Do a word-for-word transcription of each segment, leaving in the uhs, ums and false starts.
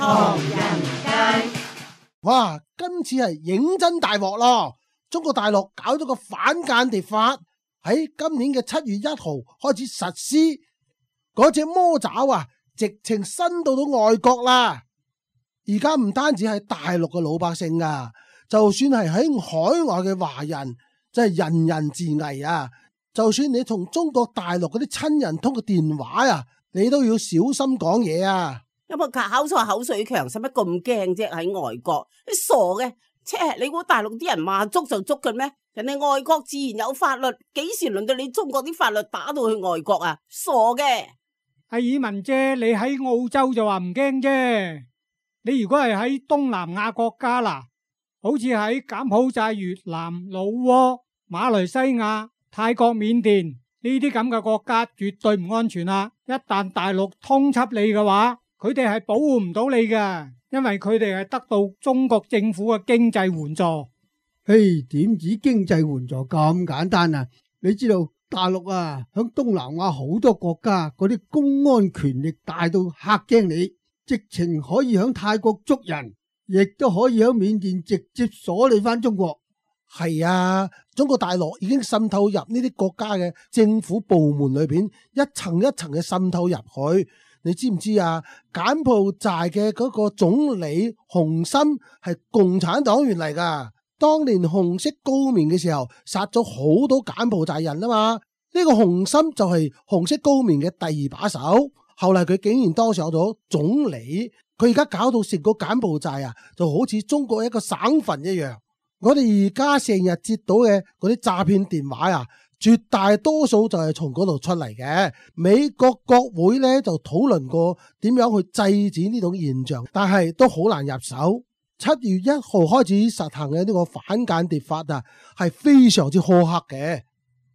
唐人街。哇，今次係認真大鑊咯！中國大陸搞咗個反間諜法，喺今年嘅七月一號開始實施。嗰隻魔爪啊，直情伸到到外國啦！而家唔單止係大陸嘅老百姓啊，就算係喺海外嘅華人，真係人人自危啊！就算你同中國大陸嗰啲親人通個電話啊，你都要小心講嘢啊！有冇搞錯？口水強，使乜咁驚啫？喺外國，你傻嘅？切，你估大陸啲人話捉就捉嘅咩？人哋外國自然有法律，幾時輪到你中國啲法律打到去外國啊？傻嘅！阿爾文姐，你喺澳洲就話唔驚啫。你如果係喺東南亞國家啦，好似喺柬埔寨、越南、老撾、馬來西亞、泰國、緬甸呢啲咁嘅國家，絕對唔安全啦。一旦大陸通緝你嘅話，佢哋係保護唔到你嘅，因為佢哋係得到中國政府嘅經濟援助。嘿，點止經濟援助咁簡單啊？你知道大陸啊，響東南亞好多國家嗰啲公安權力大到嚇驚你，直情可以響泰國捉人，亦都可以響緬甸直接鎖你返中國。係啊，中國大陸已經滲透入呢啲國家嘅政府部門裏邊，一層一層嘅滲透入去。你知唔知啊？柬埔寨嘅嗰個總理洪森係共產黨員嚟噶，當年紅色高棉嘅時候殺咗好多柬埔寨人啊嘛。呢個洪森就係紅色高棉嘅第二把手，後嚟佢竟然當上咗總理。佢而家搞到成個柬埔寨啊，就好似中國一個省份一樣。我哋而家成日接到嘅嗰啲詐騙電話啊，絕大多數就係從嗰度出嚟嘅。美國國會咧就討論過點樣去制止呢種現象，但係都好難入手。七月一號開始實行嘅呢個反間諜法啊，係非常之苛刻嘅。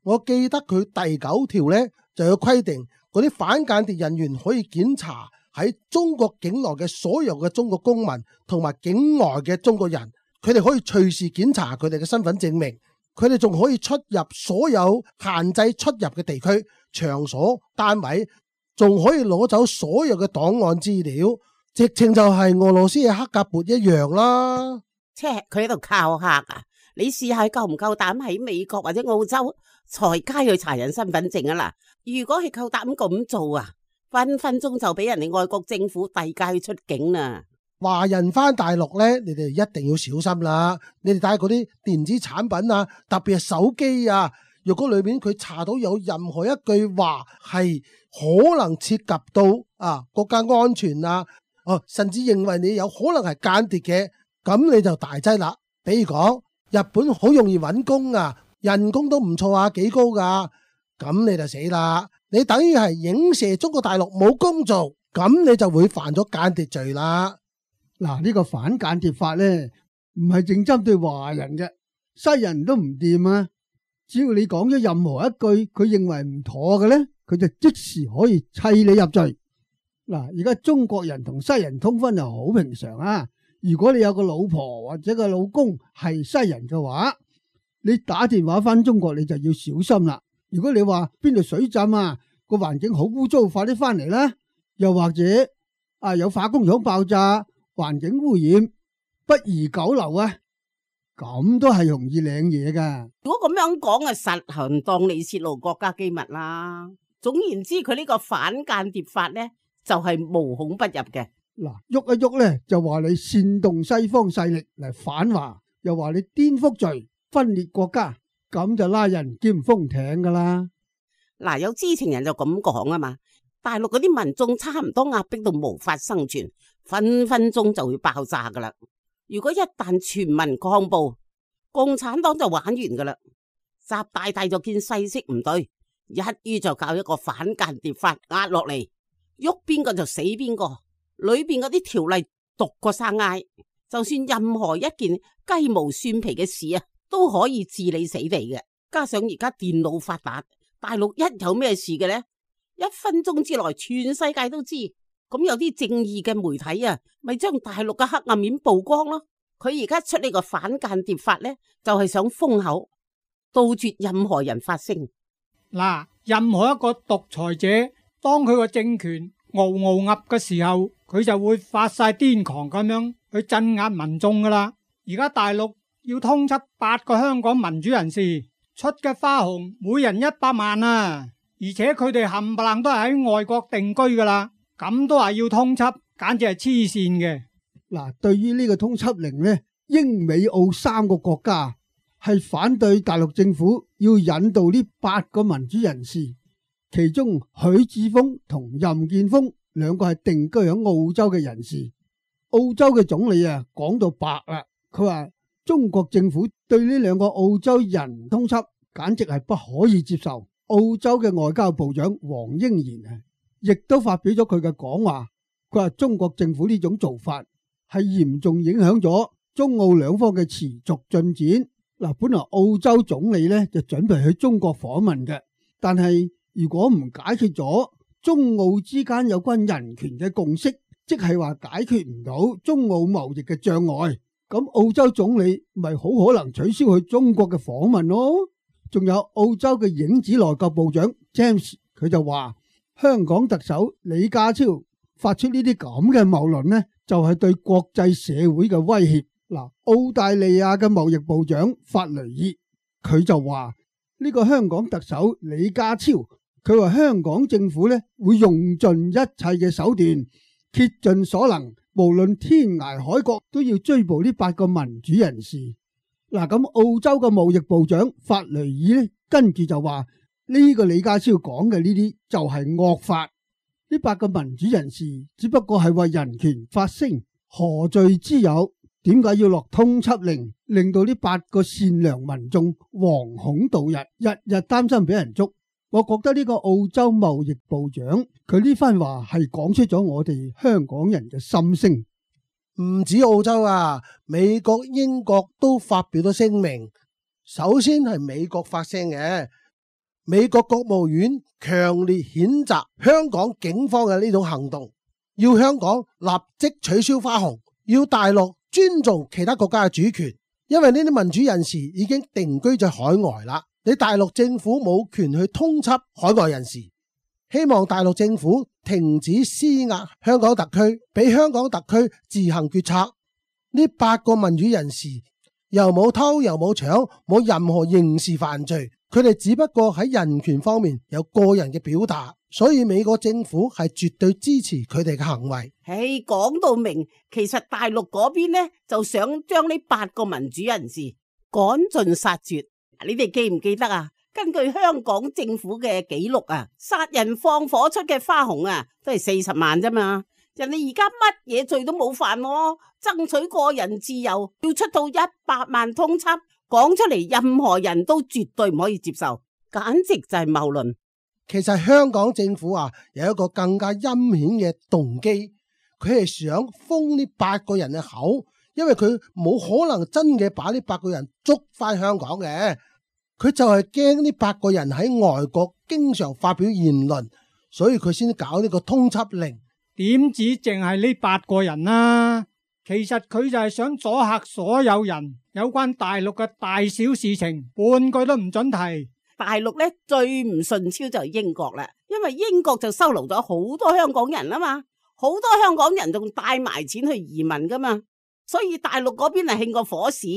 我記得佢第九條咧就有規定，嗰啲反間諜人員可以檢查喺中國境內嘅所有嘅中國公民同埋境外嘅中國人。佢哋可以隨時檢查佢哋嘅身份證明，佢哋仲可以出入所有限制出入嘅地區、場所、單位，仲可以攞走所有嘅檔案資料，直情就係俄羅斯嘅黑格勃一樣啦。切，佢喺度靠客啊！你試下夠唔夠膽喺美國或者澳洲隨街去查人身份證啊啦？如果係夠膽咁做啊，分分鐘就俾人哋外國政府遞解出境啦。華人翻大陸咧，你哋一定要小心啦！你哋帶嗰啲電子產品啊，特別係手機啊，若果裏面佢查到有任何一句話係可能涉及到啊國家安全啊，哦，甚至認為你有可能係間諜嘅，咁你就大劑啦。比如講，日本好容易揾工啊，人工都唔錯啊，幾高噶，咁你就死啦！你等於係影射中國大陸冇工做，咁你就會犯咗間諜罪啦。嗱，呢個反間諜法咧，唔係淨針對華人嘅，西人都唔掂啊！只要你講咗任何一句佢認為唔妥嘅咧，佢就即時可以砌你入罪。嗱，而家中國人同西人通婚就好平常啊！如果你有個老婆或者個老公係西人嘅話，你打電話翻中國你就要小心啦。如果你話邊度水浸啊，個環境好污糟，快啲翻嚟啦！又或者啊有化工廠爆炸，環境污染，不宜久留啊！咁都係容易領嘢噶。如果咁樣講啊，實行當你泄露國家機密啦。總言之，佢呢個反間諜法咧，就係無孔不入嘅。嗱，喐一喐咧，就話你煽動西方勢力嚟反華，又話你顛覆罪、分裂國家，咁就拉人兼封艇噶啦。嗱，有知情人就咁講啊嘛。大陸嗰啲民眾差唔多壓迫到無法生存，分分鐘就會爆炸噶啦。如果一旦全民抗暴，共產黨就玩完噶啦。習大大就見勢色唔對，一於就搞一個反間諜法壓落嚟，喐邊個就死邊個。裏邊嗰啲條例毒過生挨，就算任何一件雞毛蒜皮嘅事啊，都可以治你死地嘅。加上而家電腦發達，大陸一有咩事嘅呢，一分鐘之內全世界都知。咁有啲正義嘅媒體啊，咪將大陸嘅黑暗面曝光咯。佢而家出呢個反間諜法呢，就係想封口，杜絕任何人發聲。嗱，任何一個獨裁者，當佢個政權嗷嗷噏嘅時候，佢就會發晒癲狂咁樣去鎮壓民眾噶啦。而家大陸要通緝八個香港民主人士，出嘅花紅每人一百萬啊！而且佢哋冚唪唥都係喺外國定居噶啦，咁都話要通緝，簡直係黐線嘅。嗱，對於呢個通緝令呢，英美澳三個國家係反對大陸政府要引渡呢八個民主人士，其中許智峰同任建峰兩個係定居喺澳洲嘅人士。澳洲嘅總理啊講到白啦，佢話中國政府對呢兩個澳洲人通緝簡直係不可以接受。澳洲嘅外交部長黃英賢啊，亦都發表咗佢嘅講話，佢話中國政府呢種做法係嚴重影響咗中澳兩方嘅持續進展。嗱，本來澳洲總理呢就準備去中國訪問嘅，但係如果唔解決咗中澳之間有關人權嘅共識，即係話解決唔到中澳貿易嘅障礙，咁澳洲總理咪好可能取消去中國嘅訪問咯。仲有澳洲嘅影子內閣部長 James， 佢就話香港特首李家超發出呢啲咁嘅謬論呢，就係對國際社會嘅威脅。嗱，澳大利亞嘅貿易部長法雷爾佢就話呢個香港特首李家超，佢話香港政府呢會用盡一切嘅手段，竭盡所能，無論天涯海角都要追捕呢八個民主人士。嗱，咁澳洲嘅貿易部長法雷爾呢，跟住就話呢個李家超講嘅呢啲就係惡法，呢八個民主人士只不過係為人權發聲，何罪之有？點解要落通緝令，令到呢八個善良民眾惶恐度日，日日擔心俾人捉？我覺得呢個澳洲貿易部長佢呢番話係講出咗我哋香港人嘅心聲。唔止澳洲啊，美國、英國都發表咗聲明。首先係美國發聲嘅，美國國務院強烈譴責香港警方嘅呢種行動，要香港立即取消花紅，要大陸尊重其他國家嘅主權，因為呢啲民主人士已經定居在海外啦，你大陸政府冇權去通緝海外人士。希望大陸政府停止施壓香港特區，俾香港特區自行決策。呢八個民主人士又冇偷又冇搶，冇任何刑事犯罪，佢哋只不過喺人權方面有個人嘅表達，所以美國政府係絕對支持佢哋嘅行為。唉，講到明，其實大陸嗰邊呢就想將呢八個民主人士趕盡殺絕。你哋記唔記得啊？根據香港政府嘅記錄啊，殺人放火出嘅花紅啊，都係四十萬啫嘛。人哋而家乜嘢罪都冇犯喎，爭取個人自由要出到一百萬通緝，講出嚟任何人都絕對唔可以接受，簡直就係謬論。其實香港政府啊有一個更加陰險嘅動機，佢係想封呢八個人嘅口，因為佢冇可能真嘅把呢八個人捉翻香港嘅。佢就係驚呢八個人喺外國經常發表言論，所以佢先搞呢個通緝令。點止淨係呢八個人啊？其實佢就係想阻嚇所有人，有關大陸嘅大小事情，半句都唔准提。大陸咧最唔順超就係英國啦，因為英國就收留咗好多香港人啊嘛，好多香港人仲帶埋錢去移民噶嘛。所以大陸嗰邊係興過火屎，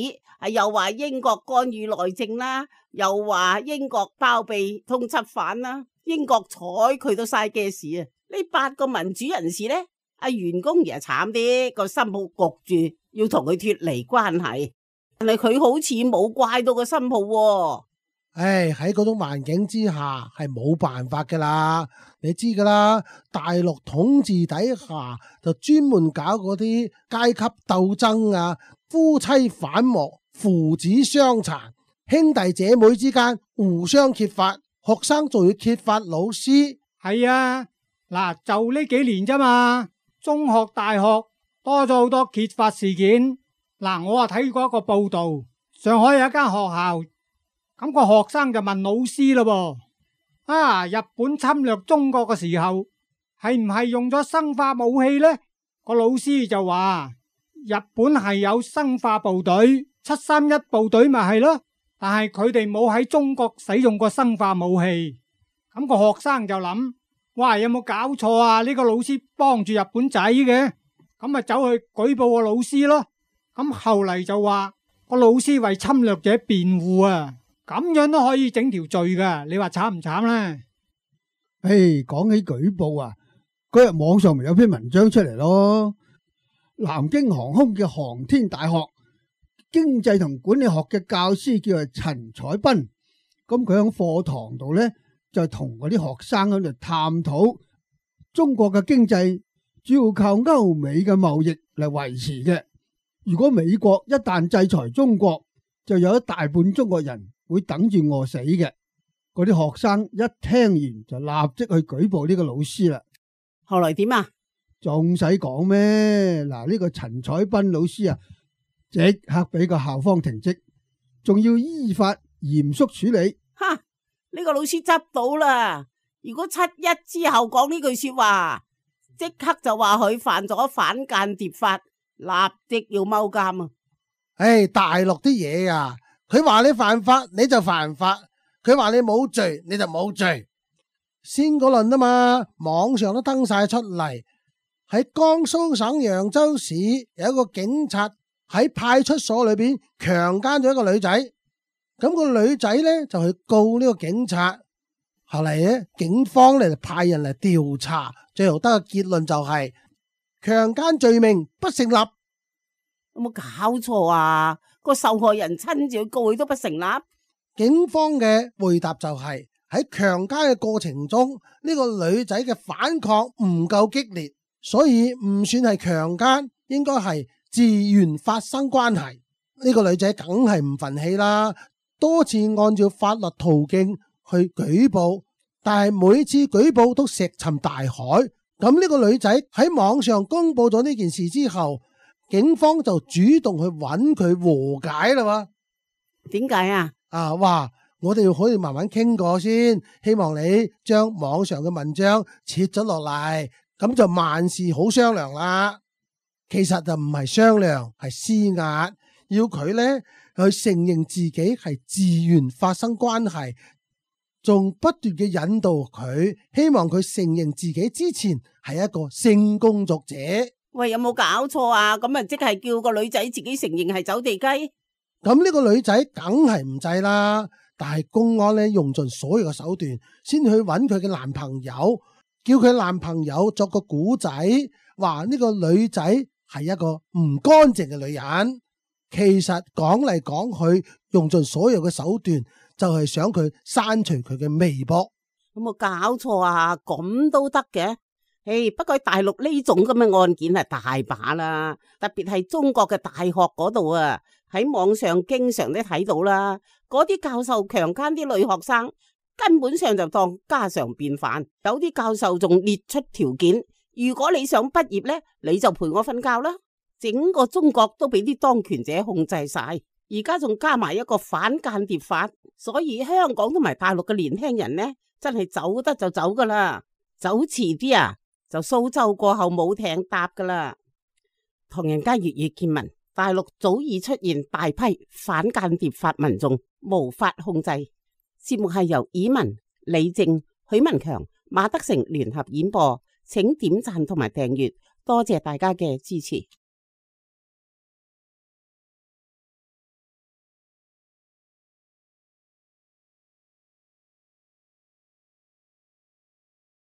係又話英國干預內政啦，又話英國包庇通緝犯啦，英國睬佢都嘥嘅事啊！呢八個民主人士呢，阿袁公儀啊慘啲，個新抱焗住要同佢脫離關係，但係佢好似冇怪到個新抱喎。唉，喺嗰種環境之下係冇辦法噶啦，你知噶啦，大陸統治底下就專門搞嗰啲階級鬥爭啊，夫妻反目，父子相殘，兄弟姐妹之間互相揭發，學生仲要揭發老師。係啊，嗱，就呢幾年啫嘛，中學大學多咗好多揭發事件。嗱，我啊睇過一個報道，上海有一間學校。咁個學生就問老師咯，啊，日本侵略中國嘅時候係唔係用咗生化武器呢？個老師就話日本係有生化部隊，七三一部隊咪係咯，但係佢哋冇喺中國使用過生化武器。咁個學生就諗，哇，有冇搞錯啊？呢個老師幫住日本仔嘅，咁啊走去舉報個老師咯。咁後嚟就話個老師為侵略者辯護啊，咁樣都可以整條罪噶，你話慘唔慘呢？誒，講起舉報啊，嗰日網上咪有篇文章出嚟咯。南京航空嘅航天大學經濟同管理學嘅教師叫做陳彩斌，咁佢喺課堂度呢，就同嗰啲學生喺度探討中國嘅經濟主要靠歐美嘅貿易嚟維持嘅。如果美國一旦制裁中國，就有一大半中國人會等住餓死嘅。嗰啲學生一聽完就立即去舉報呢個老師啦。後來點啊？仲使講咩？嗱，呢個陳彩斌老師啊，即刻俾個校方停職，仲要依法嚴肅處理。哈！呢個老師執到啦。如果七一之後講呢句說話，即刻就話佢犯咗反間諜法，立即要踎監啊！唉，大陸啲嘢啊，佢話你犯法你就犯法，佢話你冇罪你就冇罪。先嗰輪啊嘛，網上都登晒出嚟。喺江蘇省揚州市有一個警察喺派出所裏邊強姦咗一個女仔，咁個女仔呢就去告呢個警察。後嚟呢，警方呢就派人嚟調查，最後得個結論就係強姦罪名不成立。有冇搞錯啊？個受害人親自去告佢都不成立。警方嘅回答就係喺強姦嘅過程中，呢個女仔嘅反抗唔夠激烈，所以唔算係強姦，應該係自願發生關係。呢個女仔梗係唔忿氣啦，多次按照法律途徑去舉報，但係每次舉報都石沉大海。咁呢個女仔喺網上公布咗呢件事之後，警方就主動去揾佢和解啦。點解啊？啊，話我哋可以慢慢傾過先，希望你將網上嘅文章撤咗落嚟，咁就萬事好商量啦。其實就唔係商量，係施壓，要佢呢去承認自己係自願發生關係，仲不斷嘅引導佢，希望佢承認自己之前係一個性工作者。喂，有冇搞錯啊？咁啊，即係叫個女仔自己承認係走地雞？咁呢個女仔梗係唔制啦，但係公安呢用盡所有嘅手段，先去揾佢嘅男朋友，叫佢男朋友作個古仔，話呢個女仔係一個唔乾淨嘅女人。其實講嚟講去，用盡所有嘅手段，就係想佢刪除佢嘅微博。有冇搞錯啊？咁都得嘅？誒，不過喺大陸呢種咁嘅案件係大把啦，特別係中國嘅大學嗰度啊，喺網上經常都睇到啦。嗰啲教授強姦啲女學生，根本上就當家常便飯。有啲教授仲列出條件，如果你想畢業呢，你就陪我瞓覺啦。整個中國都俾啲當權者控制晒，而家仲加埋一個反間諜法，所以香港同埋大陸嘅年輕人呢，真係走得就走噶啦，走遲啲啊！就蘇州過後冇艇搭噶啦。唐人街粵語見聞，大陸早已出現大批反間諜法民眾無法控制。節目係由以文、李正、許文強、馬德成聯合演播，請點讚同埋訂閱，多謝大家嘅支持。